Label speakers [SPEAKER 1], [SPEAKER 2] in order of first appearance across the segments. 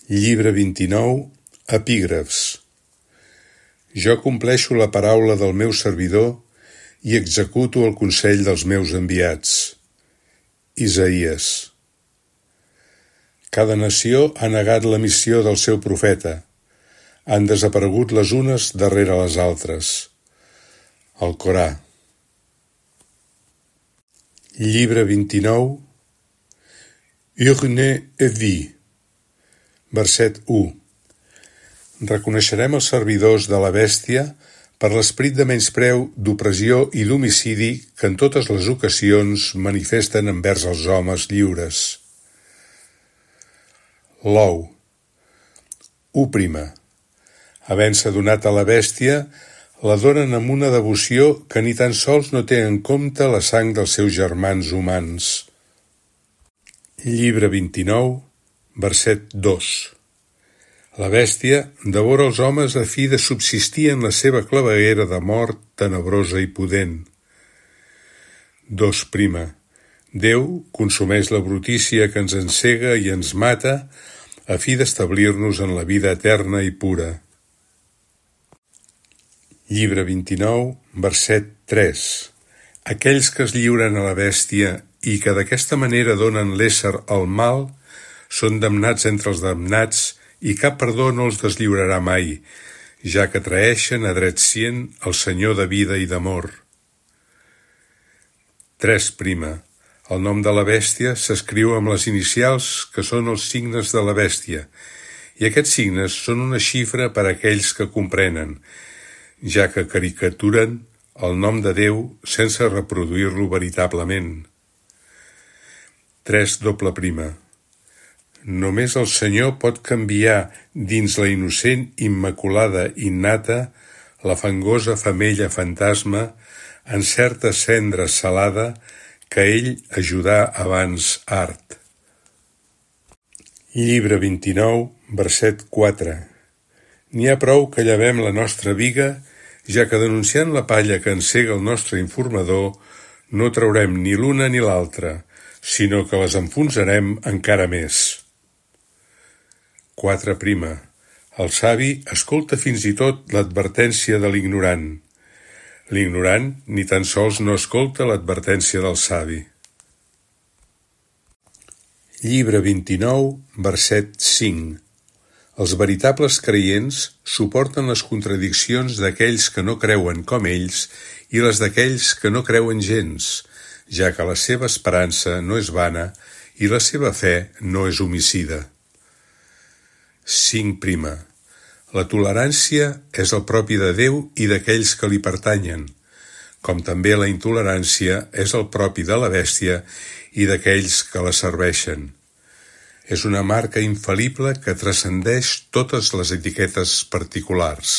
[SPEAKER 1] Llibre 29, Epígrafs. Jo compleixo la paraula del meu servidor i executo el consell dels meus enviats. Isaïes. Cada nació ha negat la missió del seu profeta. Han desaparegut les unes darrere les altres. El Corà. Llibre 29, Urne Evi. Verset 1. Reconeixerem els servidors de la bèstia per l'esperit de menyspreu, d'opressió i d'homicidi que en totes les ocasions manifesten envers els homes lliures. L'ou. 1. Havent-se donat a la bèstia, la donen amb una devoció que ni tan sols no té en compte la sang dels seus germans humans. Llibre 29, verset 2. La bèstia devora els homes a fi de subsistir en la seva claveguera de mort tenebrosa i pudent. 2. Déu consumeix la brutícia que ens encega i ens mata a fi d'establir-nos en la vida eterna i pura. Llibre 29, verset 3. Aquells que es lliuren a la bèstia i que d'aquesta manera donen l'ésser al mal són damnats entre els damnats i cap perdó no els deslliurarà mai, ja que traeixen a dret cient el Senyor de vida i d'amor. 3. El nom de la bèstia s'escriu amb les inicials que són els signes de la bèstia, i aquests signes són una xifra per a aquells que comprenen, ja que caricaturen el nom de Déu sense reproduir-lo veritablement. 3. Només el Senyor pot canviar dins la innocent immaculada innata la fangosa femella fantasma en certa cendra salada que ell ajudà abans art. Llibre 29, verset 4. N'hi ha prou que llevem la nostra biga, ja que denunciant la palla que encega el nostre informador, no traurem ni l'una ni l'altra, sinó que les enfonsarem encara més. 4. El savi escolta fins i tot l'advertència de l'ignorant. L'ignorant ni tan sols no escolta l'advertència del savi. Llibre 29, verset 5. Els veritables creients suporten les contradiccions d'aquells que no creuen com ells i les d'aquells que no creuen gens, ja que la seva esperança no és vana i la seva fe no és homicida. 5. La tolerància és el propi de Déu i d'aquells que li pertanyen, com també la intolerància és el propi de la bèstia i d'aquells que la serveixen. És una marca infal·lible que transcendeix totes les etiquetes particulars.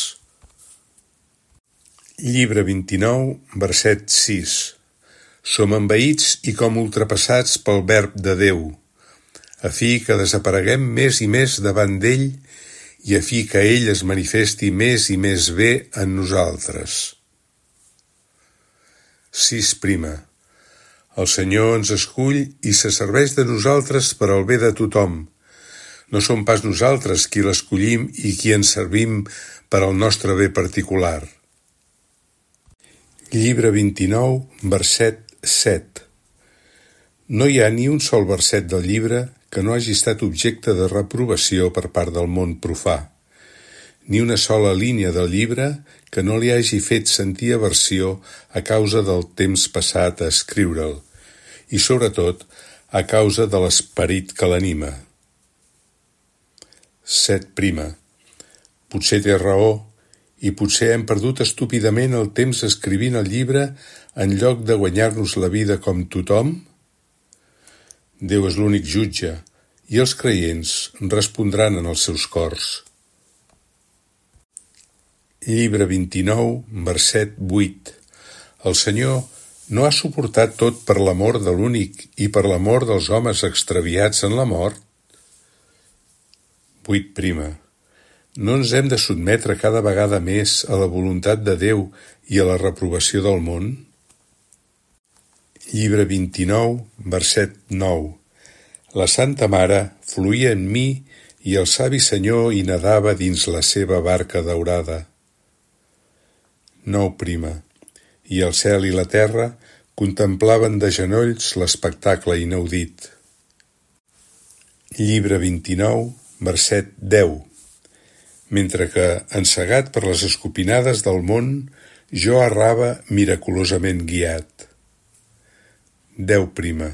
[SPEAKER 1] Llibre 29, verset 6. Som envaïts i com ultrapassats pel verb de Déu, a fi que desapareguem més i més davant d'ell i a fi que ell es manifesti més i més bé en nosaltres. 6. El Senyor ens escull i se serveix de nosaltres per al bé de tothom. No som pas nosaltres qui l'escollim i qui ens servim per al nostre bé particular. Llibre 29, verset 7. No hi ha ni un sol verset del llibre que no hagi estat objecte de reprovació per part del món profà, ni una sola línia del llibre que no li hagi fet sentir aversió a causa del temps passat a escriure'l, i sobretot a causa de l'esperit que l'anima. 7. Potser té raó, i potser hem perdut estúpidament el temps escrivint el llibre en lloc de guanyar-nos la vida com tothom? Déu és l'únic jutge, i els creients respondran en els seus cors. Llibre 29, verset 8. El Senyor no ha suportat tot per l'amor de l'únic i per l'amor dels homes extraviats en la mort? 8. No ens hem de sotmetre cada vegada més a la voluntat de Déu i a la reprovació del món? Llibre 29, verset 9. La Santa Mare fluïa en mi i el savi senyor hi nedava dins la seva barca daurada. 9. I el cel i la terra contemplaven de genolls l'espectacle inaudit. Llibre 29, verset 10. Mentre que, encegat per les escopinades del món, jo errava miraculosament guiat. 10.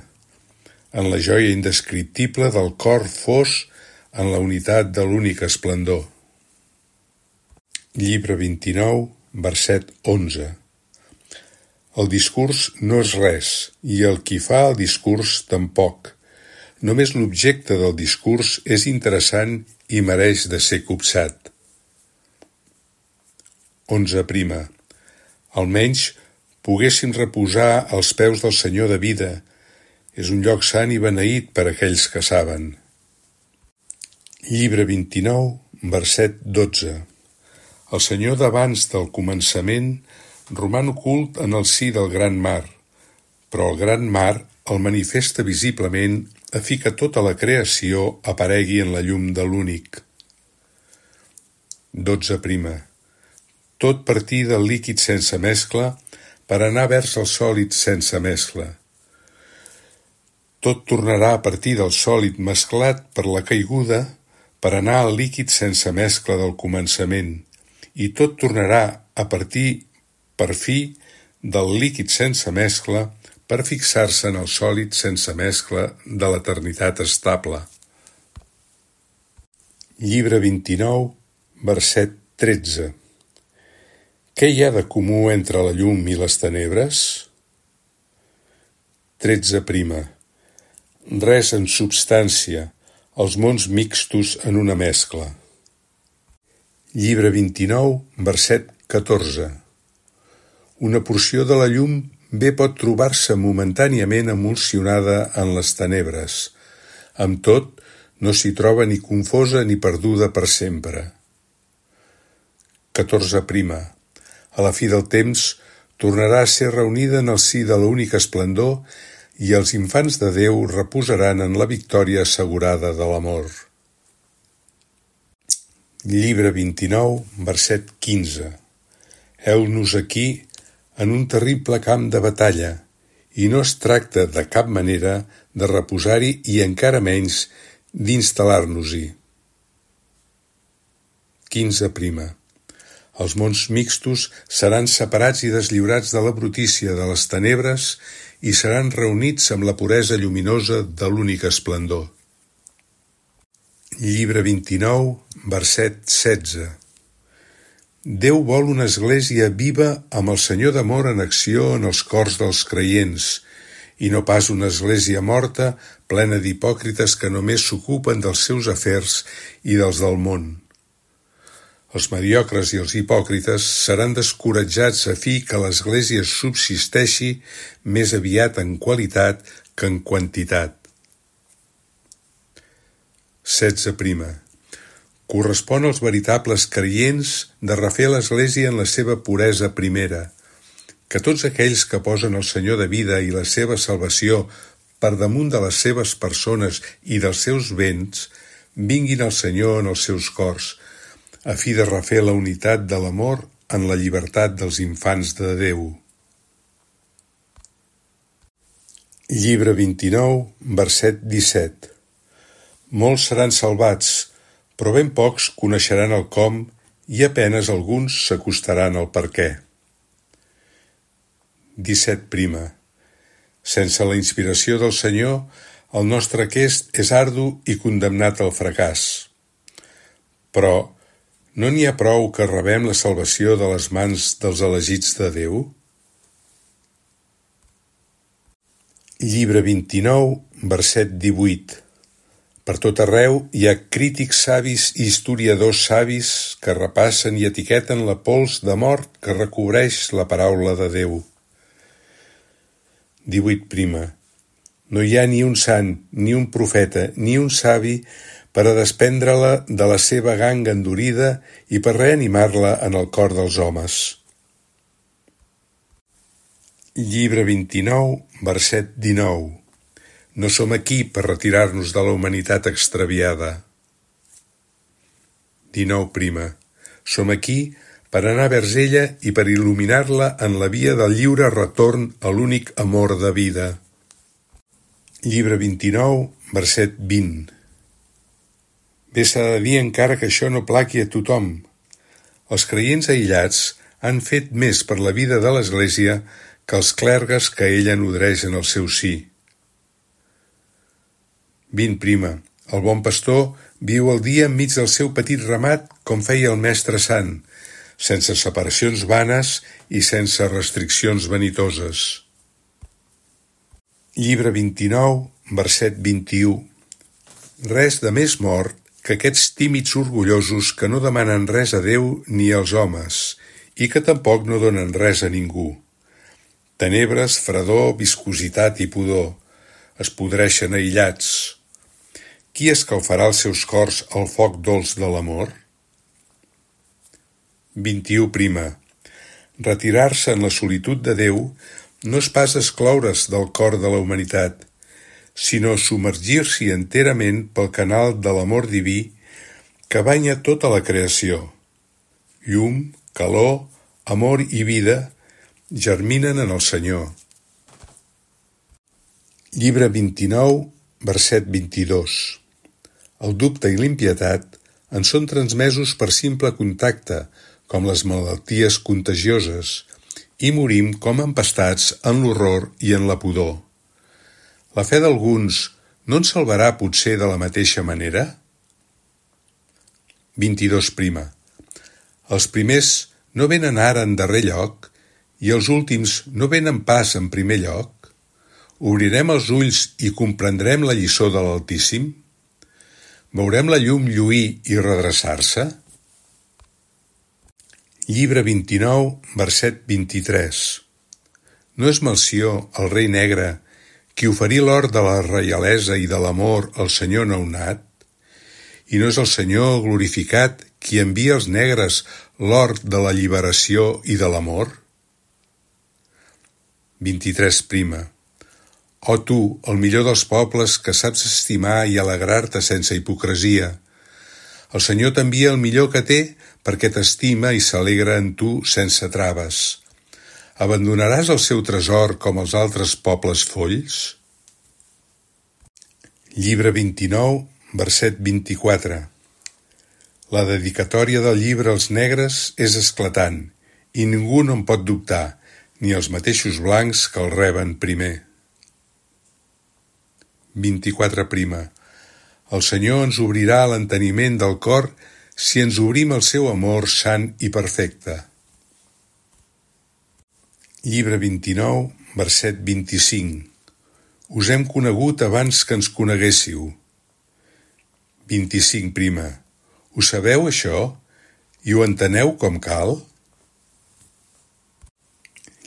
[SPEAKER 1] En la joia indescriptible del cor fos en la unitat de l'únic esplendor. Llibre 29, verset 11. El discurs no és res, i el qui fa el discurs tampoc. Només l'objecte del discurs és interessant i mereix de ser copsat. 11. Almenys poguéssim reposar als peus del Senyor de vida. És un lloc sant i beneït per aquells que saben. Llibre 29, verset 12. El Senyor d'abans del començament roman ocult en el si del gran mar, però el gran mar el manifesta visiblement a fi que tota la creació aparegui en la llum de l'únic. 12. Tot partir del líquid sense mescla per anar vers el sòlid sense mescla. Tot tornarà a partir del sòlid mesclat per la caiguda per anar al líquid sense mescla del començament, i tot tornarà a partir, per fi, del líquid sense mescla per fixar-se en el sòlid sense mescla de l'eternitat estable. Llibre 29, verset 13. Què hi ha de comú entre la llum i les tenebres? 13. Res en substància, els mons mixtos en una mescla. Llibre 29, verset 14. Una porció de la llum bé pot trobar-se momentàniament emulsionada en les tenebres. Amb tot, no s'hi troba ni confosa ni perduda per sempre. 14. A la fi del temps, tornarà a ser reunida en el si de l'únic esplendor i els infants de Déu reposaran en la victòria assegurada de l'amor. Llibre 29, verset 15. Heu-nos aquí en un terrible camp de batalla, i no es tracta de cap manera de reposar-hi i encara menys d'instal·lar-nos-hi. 15. Els mons mixtos seran separats i deslliurats de la brutícia de les tenebres i seran reunits amb la puresa lluminosa de l'únic esplendor. Llibre 29, verset 16. Déu vol una església viva amb el Senyor d'amor en acció en els cors dels creients, i no pas una església morta plena d'hipòcrites que només s'ocupen dels seus afers i dels del món. Els mediocres i els hipòcrites seran descoratjats a fi que l'Església subsisteixi més aviat en qualitat que en quantitat. 16. Correspon als veritables creients de refer l'Església en la seva puresa primera, que tots aquells que posen el Senyor de vida i la seva salvació per damunt de les seves persones i dels seus béns, vinguin al Senyor en els seus cors, a fi de refer la unitat de l'amor en la llibertat dels infants de Déu. Llibre 29, verset 17. Molts seran salvats, però ben pocs coneixeran el com i a penes alguns s'acostaran al per què. 17. Sense la inspiració del Senyor, el nostre aquest és ardu i condemnat al fracàs. Però no n'hi ha prou que rebem la salvació de les mans dels elegits de Déu? Llibre 29, verset 18. Per tot arreu hi ha crítics savis i historiadors savis que repassen i etiqueten la pols de mort que recobreix la paraula de Déu. 18. No hi ha ni un sant, ni un profeta, ni un savi per a desprendre-la de la seva ganga endurida i per reanimar-la en el cor dels homes. Llibre 29, verset 19. No som aquí per retirar-nos de la humanitat extraviada. 19. Som aquí per anar vers ella i per il·luminar-la en la via del lliure retorn a l'únic amor de vida. Llibre 29, verset 20. Bé s'ha de dir encara que això no plaqui a tothom. Els creients aïllats han fet més per la vida de l'Església que els clergues que ella nodreix en el seu si. 20. El bon pastor viu el dia enmig del seu petit ramat com feia el Mestre Sant, sense separacions vanes i sense restriccions vanitoses. Llibre 29, verset 21. Res de més mort que aquests tímids orgullosos que no demanen res a Déu ni als homes i que tampoc no donen res a ningú. Tenebres, fredor, viscositat i pudor. Es podreixen aïllats. Qui escalfarà els seus cors al foc dolç de l'amor? 21. Retirar-se en la solitud de Déu no és pas excloure's del cor de la humanitat, sinó submergir-s'hi enterament pel canal de l'amor diví que banya tota la creació. Llum, calor, amor i vida germinen en el Senyor. Llibre 29, verset 22. El dubte i l'impietat en són transmesos per simple contacte, com les malalties contagioses, i morim com empastats en l'horror i en la pudor. La fe d'alguns no ens salvarà potser de la mateixa manera? 22. Els primers no venen ara en darrer lloc i els últims no venen pas en primer lloc? Obrirem els ulls i comprendrem la lliçó de l'Altíssim? Veurem la llum lluir i redreçar-se? Llibre 29, verset 23. No és Melcior, el rei negre, qui oferí l'or de la reialesa i de l'amor al Senyor nounat? I no és el Senyor glorificat qui envia als negres l'or de la lliberació i de l'amor? 23. Oh tu, el millor dels pobles que saps estimar i alegrar-te sense hipocresia. El Senyor t'envia el millor que té perquè t'estima i s'alegra en tu sense traves. Abandonaràs el seu tresor com els altres pobles folls? Llibre 29, verset 24. La dedicatòria del llibre als negres és esclatant i ningú no en pot dubtar, ni els mateixos blancs que el reben primer. 24. El Senyor ens obrirà l'enteniment del cor si ens obrim al seu amor sant i perfecte. Llibre 29, verset 25. Us hem conegut abans que ens coneguéssiu. 25. Ho sabeu, això? I ho enteneu com cal?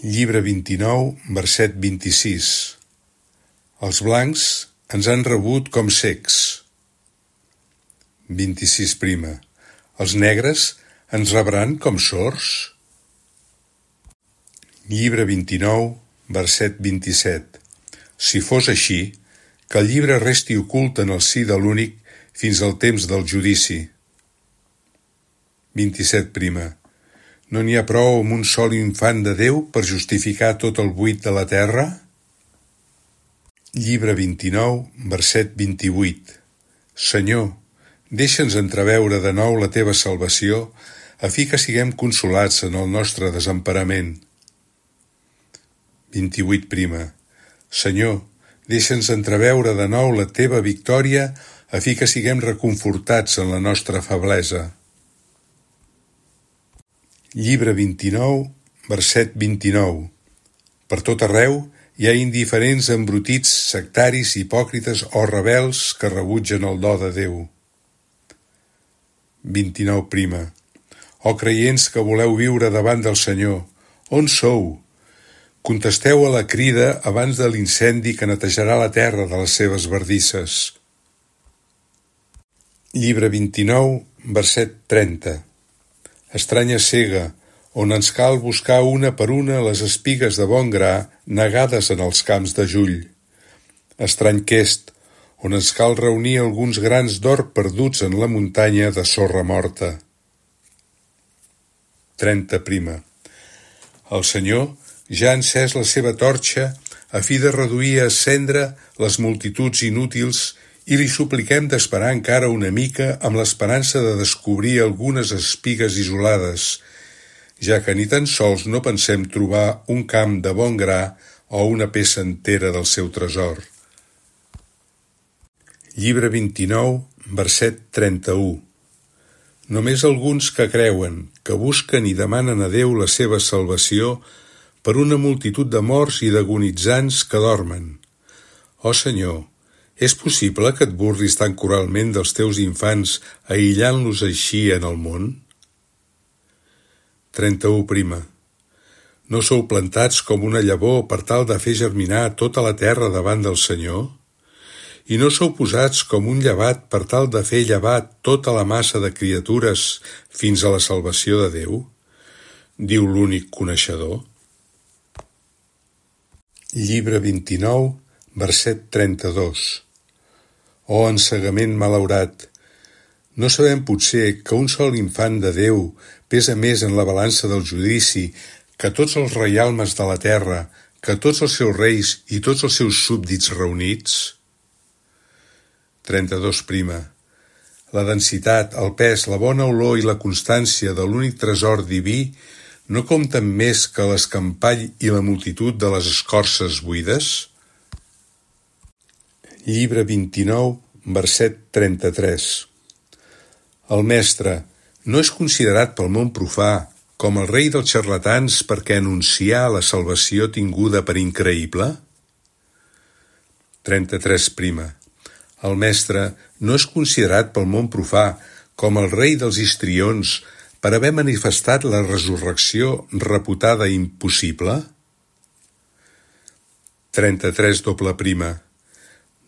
[SPEAKER 1] Llibre 29, verset 26. Els blancs ens han rebut com cecs. 26. Els negres ens rebran com sords? Llibre 29, verset 27. Si fos així, que el llibre resti ocult en el si de l'únic fins al temps del judici. 27. No n'hi ha prou amb un sol infant de Déu per justificar tot el buit de la terra? Llibre 29, verset 28. Senyor, deixa'ns entreveure de nou la teva salvació a fi que siguem consolats en el nostre desemparament. 28. Senyor, deixa'ns entreveure de nou la teva victòria a fi que siguem reconfortats en la nostra feblesa. Llibre 29, verset 29. Per tot arreu hi ha indiferents embrutits, sectaris, hipòcrites o rebels que rebutgen el do de Déu. 29. Oh creients que voleu viure davant del Senyor, on sou? Contesteu a la crida abans de l'incendi que netejarà la terra de les seves bardisses. Llibre 29, verset 30. Estranya cega, on ens cal buscar una per una les espigues de bon gra negades en els camps de Jull. Estrany quest, on ens cal reunir alguns grans d'or perduts en la muntanya de sorra morta. 30. El Senyor ja ha encès la seva torxa a fi de reduir a cendra les multituds inútils i li supliquem d'esperar encara una mica amb l'esperança de descobrir algunes espigues isolades, ja que ni tan sols no pensem trobar un camp de bon gra o una peça entera del seu tresor. Llibre 29, verset 31. Només alguns que creuen, que busquen i demanen a Déu la seva salvació per una multitud de morts i d'agonitzants que dormen. Ó Senyor, és possible que et burlis tan cruelment dels teus infants aïllant-los així en el món? 31. No sou plantats com una llavor per tal de fer germinar tota la terra davant del Senyor? I no sou posats com un llevat per tal de fer llevar tota la massa de criatures fins a la salvació de Déu? Diu l'únic coneixedor. Llibre 29, verset 32. Oh ensegament malaurat! No sabem potser que un sol infant de Déu pesa més en la balança del judici que tots els reialmes de la terra, que tots els seus reis i tots els seus súbdits reunits? 32. La densitat, el pes, la bona olor i la constància de l'únic tresor diví no compten més que l'escampall i la multitud de les escorces buides? Llibre 29, verset 33. El mestre no és considerat pel món profà com el rei dels xarlatans perquè anuncià la salvació tinguda per increïble? 33. El mestre no és considerat pel món profà com el rei dels histrions per haver manifestat la resurrecció reputada impossible? 33.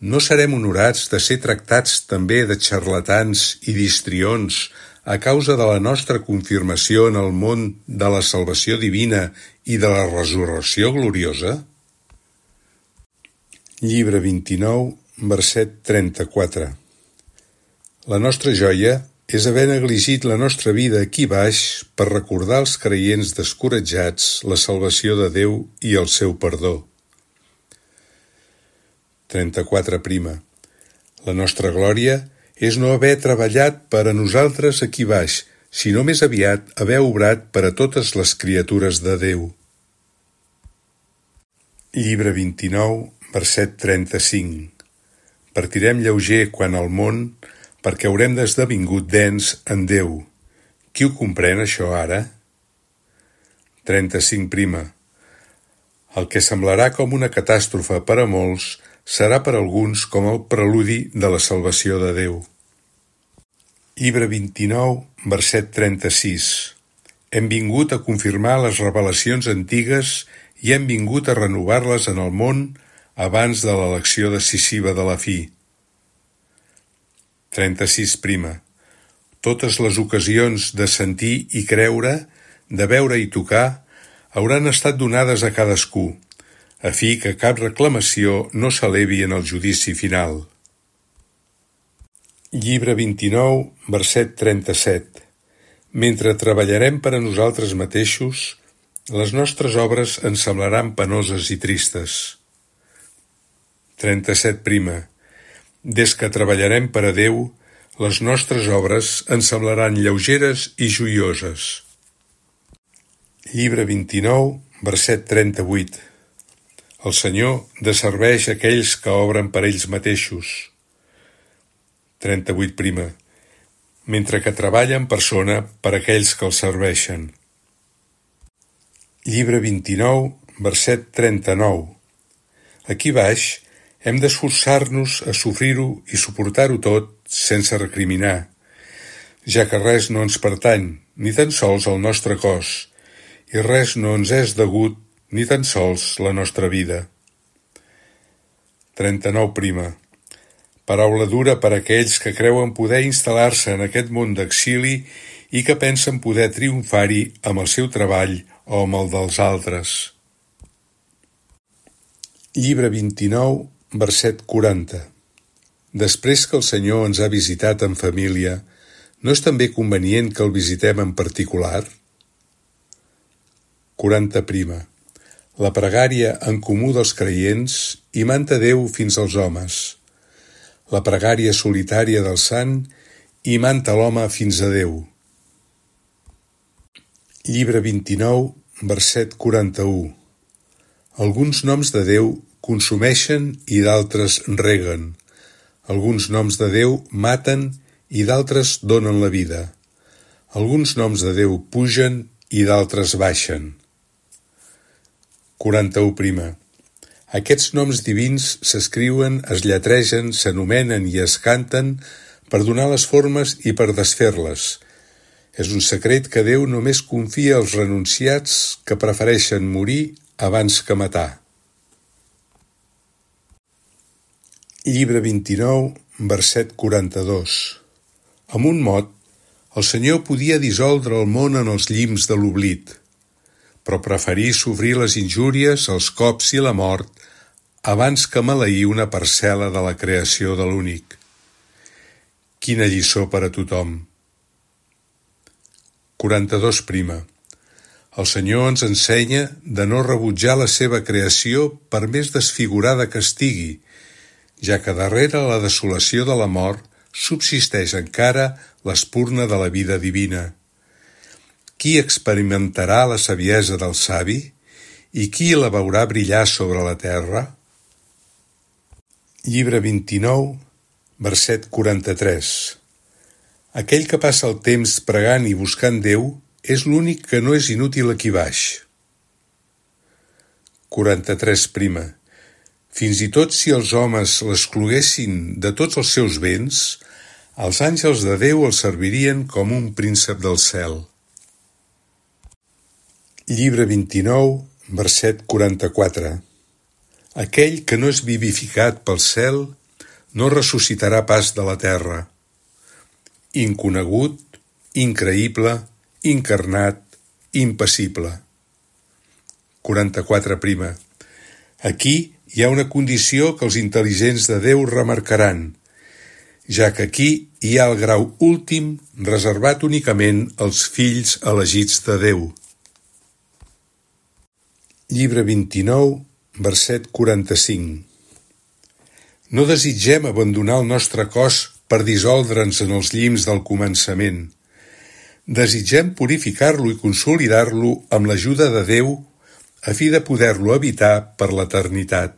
[SPEAKER 1] No serem honorats de ser tractats també de xarlatans i d'histrions a causa de la nostra confirmació en el món de la salvació divina i de la resurrecció gloriosa? Llibre 29, verset 34. La nostra joia és haver negligit la nostra vida aquí baix per recordar als creients descoratjats la salvació de Déu i el seu perdó. 34. La nostra glòria és no haver treballat per a nosaltres aquí baix, sinó més aviat haver obrat per a totes les criatures de Déu. Llibre 29, verset 35. Partirem lleuger quan al món, perquè haurem d'esdevingut dens en Déu. Qui ho comprèn, això, ara? 35. El que semblarà com una catàstrofe per a molts serà per alguns com el preludi de la salvació de Déu. Llibre 29, verset 36. Hem vingut a confirmar les revelacions antigues i hem vingut a renovar-les en el món abans de l'elecció decisiva de la fi. 36. Totes les ocasions de sentir i creure, de veure i tocar, hauran estat donades a cadascú, a fi que cap reclamació no s'elevi en el judici final. Llibre 29, verset 37. Mentre treballarem per a nosaltres mateixos, les nostres obres ens semblaran penoses i tristes. 37. Des que treballarem per a Déu, les nostres obres ens semblaran lleugeres i joioses. Llibre 29, verset 38. El Senyor desserveix aquells que obren per ells mateixos. 38. Mentre que treballa en persona per aquells que els serveixen. Llibre 29, verset 39. Aquí baix hem d'esforçar-nos a sofrir-ho i suportar-ho tot sense recriminar, ja que res no ens pertany, ni tan sols el nostre cos, i res no ens és degut, ni tan sols la nostra vida. 39. Paraula dura per a aquells que creuen poder instal·lar-se en aquest món d'exili i que pensen poder triomfar-hi amb el seu treball o amb el dels altres. Llibre 29, verset 40. Després que el Senyor ens ha visitat en família, no és també convenient que el visitem en particular? 40. La pregària en comú dels creients imanta Déu fins als homes. La pregària solitària del sant imanta l'home fins a Déu. Llibre 29, verset 41. Alguns noms de Déu consumeixen i d'altres reguen. Alguns noms de Déu maten i d'altres donen la vida. Alguns noms de Déu pugen i d'altres baixen. 41. Aquests noms divins s'escriuen, es lletregen, s'anomenen i es canten per donar les formes i per desfer-les. És un secret que Déu només confia als renunciats que prefereixen morir abans que matar. Llibre 29, verset 42. Amb un mot, el Senyor podia dissoldre el món en els llims de l'oblit, però preferí sofrir les injúries, els cops i la mort abans que maleir una parcel·la de la creació de l'únic. Quina lliçó per a tothom. 42. El Senyor ens ensenya de no rebutjar la seva creació per més desfigurada que estigui, ja que darrere la desolació de la mort subsisteix encara l'espurna de la vida divina. Qui experimentarà la saviesa del savi i qui la veurà brillar sobre la terra? Llibre 29, verset 43. Aquell que passa el temps pregant i buscant Déu és l'únic que no és inútil aquí baix. 43. Fins i tot si els homes l'excloguessin de tots els seus béns, els àngels de Déu el servirien com un príncep del cel. Llibre 29, verset 44. Aquell que no és vivificat pel cel no ressuscitarà pas de la terra. Inconegut, increïble, incarnat, impassible. 44. Aquí hi ha una condició que els intel·ligents de Déu remarcaran, ja que aquí hi ha el grau últim reservat únicament als fills elegits de Déu. Llibre 29, verset 45. No desitgem abandonar el nostre cos per dissoldre'ns en els llims del començament. Desitgem purificar-lo i consolidar-lo amb l'ajuda de Déu a fi de poder-lo habitar per l'eternitat.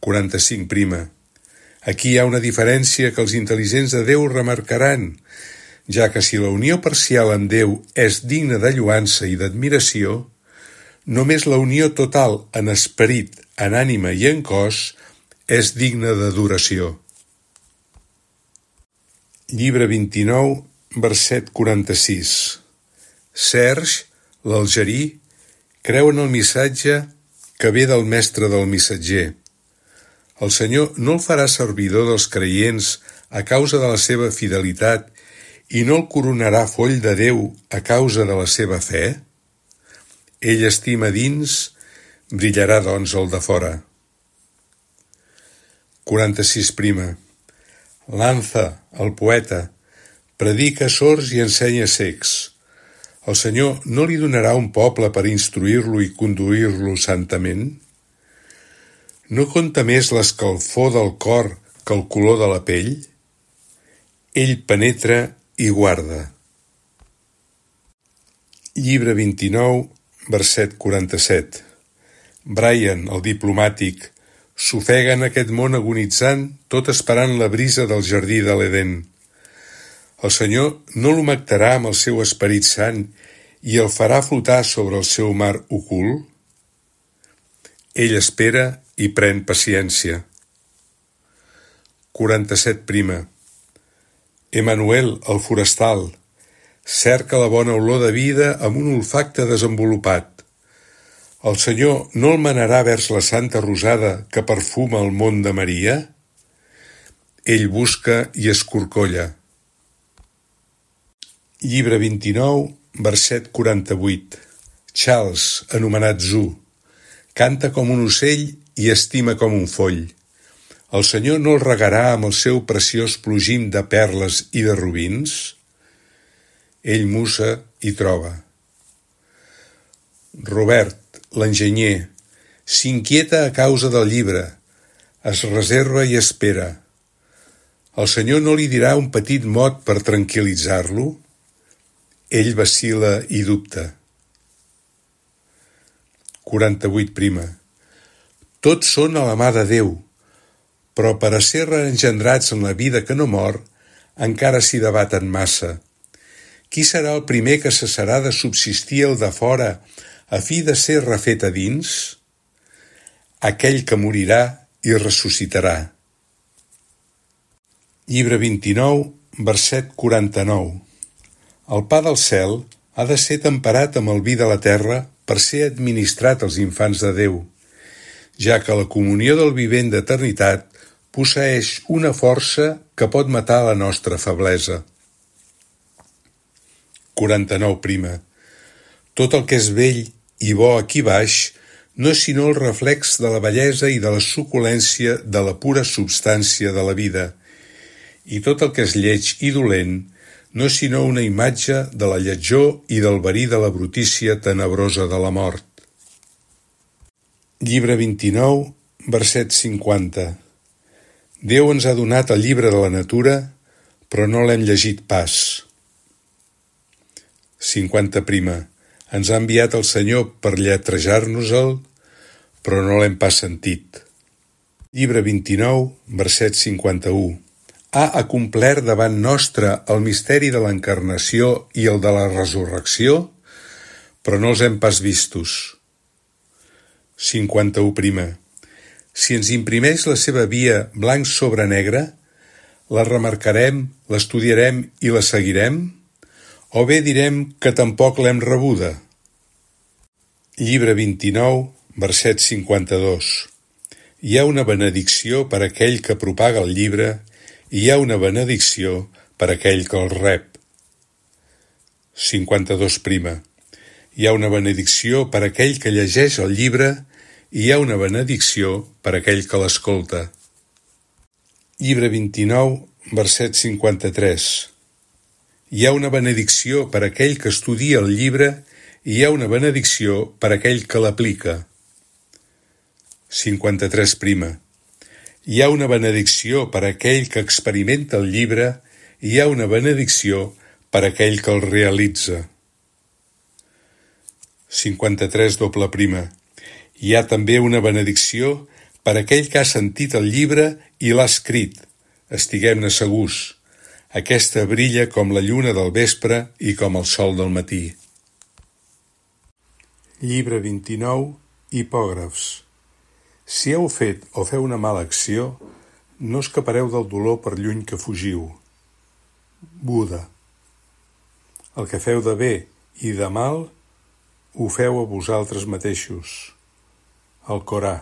[SPEAKER 1] 45. Aquí hi ha una diferència que els intel·ligents de Déu remarcaran, ja que si la unió parcial amb Déu és digna de lloança i d'admiració, només la unió total en esperit, en ànima i en cos és digna d'adoració. Llibre 29, verset 46. Serge, l'algerí, creu en el missatge que ve del mestre del missatger. El Senyor no el farà servidor dels creients a causa de la seva fidelitat i no el coronarà foll de Déu a causa de la seva fe? Ell estima dins, brillarà doncs el de fora. 46. Lanza, el poeta, predica a sords i ensenya cecs. El Senyor no li donarà un poble per instruir-lo i conduir-lo santament? No compta més l'escalfor del cor que el color de la pell? Ell penetra i guarda. Llibre 29, verset 47. Brian, el diplomàtic, s'ofega en aquest món agonitzant, tot esperant la brisa del jardí de l'Edén. El Senyor no l'humectarà amb el seu Esperit Sant i el farà flotar sobre el seu mar ocult? Ell espera i pren paciència. 47. Emanuel, el forestal, cerca la bona olor de vida amb un olfacte desenvolupat. El Senyor no el manarà vers la santa rosada que perfuma el món de Maria? Ell busca i escorcolla. Llibre 29, verset 48. Charles, anomenat Zu, canta com un ocell i estima com un foll. El Senyor no el regarà amb el seu preciós plogim de perles i de robins? Ell musa i troba. Robert, l'enginyer, s'inquieta a causa del llibre, es reserva i espera. El Senyor no li dirà un petit mot per tranquil·litzar-lo? Ell vacil·la i dubta. 48. Tots són a la mà de Déu, però per a ser reengendrats en la vida que no mor, encara s'hi debaten massa. Qui serà el primer que cessarà de subsistir el de fora a fi de ser refet a dins? Aquell que morirà i ressuscitarà. Llibre 29, verset 49. El pa del cel ha de ser temperat amb el vi de la terra per ser administrat als infants de Déu, ja que la comunió del vivent d'eternitat posseeix una força que pot matar la nostra feblesa. 49. Tot el que és vell i bo aquí baix no és sinó el reflex de la bellesa i de la suculència de la pura substància de la vida, i tot el que és lleig i dolent no és sinó una imatge de la lletjor i del verí de la brutícia tenebrosa de la mort. Llibre 29, verset 50. Déu ens ha donat el llibre de la natura, però no l'hem llegit pas. 50. Ens ha enviat el Senyor per lletrejar-nos-el, però no l'hem pas sentit. Llibre 29, verset 51. Ha acomplert davant nostre el misteri de l'encarnació i el de la resurrecció, però no els hem pas vistos. 51. Si ens imprimeix la seva via blanc sobre negre, la remarcarem, l'estudiarem i la seguirem? O bé direm que tampoc l'hem rebuda? Llibre 29, verset 52. Hi ha una benedicció per aquell que propaga el llibre i hi ha una benedicció per aquell que el rep. 52. Hi ha una benedicció per aquell que llegeix el llibre i hi ha una benedicció per aquell que l'escolta. Llibre 29, verset 53. Hi ha una benedicció per aquell que estudia el llibre i hi ha una benedicció per aquell que l'aplica. 53. Hi ha una benedicció per aquell que experimenta el llibre i hi ha una benedicció per aquell que el realitza. 53. Hi ha també una benedicció per aquell que ha sentit el llibre i l'ha escrit. Estiguem-ne segurs. Aquesta brilla com la lluna del vespre i com el sol del matí. Llibre 29, hipògrafs. Si heu fet o feu una mala acció, no escapareu del dolor per lluny que fugiu. Buda. El que feu de bé i de mal, ho feu a vosaltres mateixos. El Corà.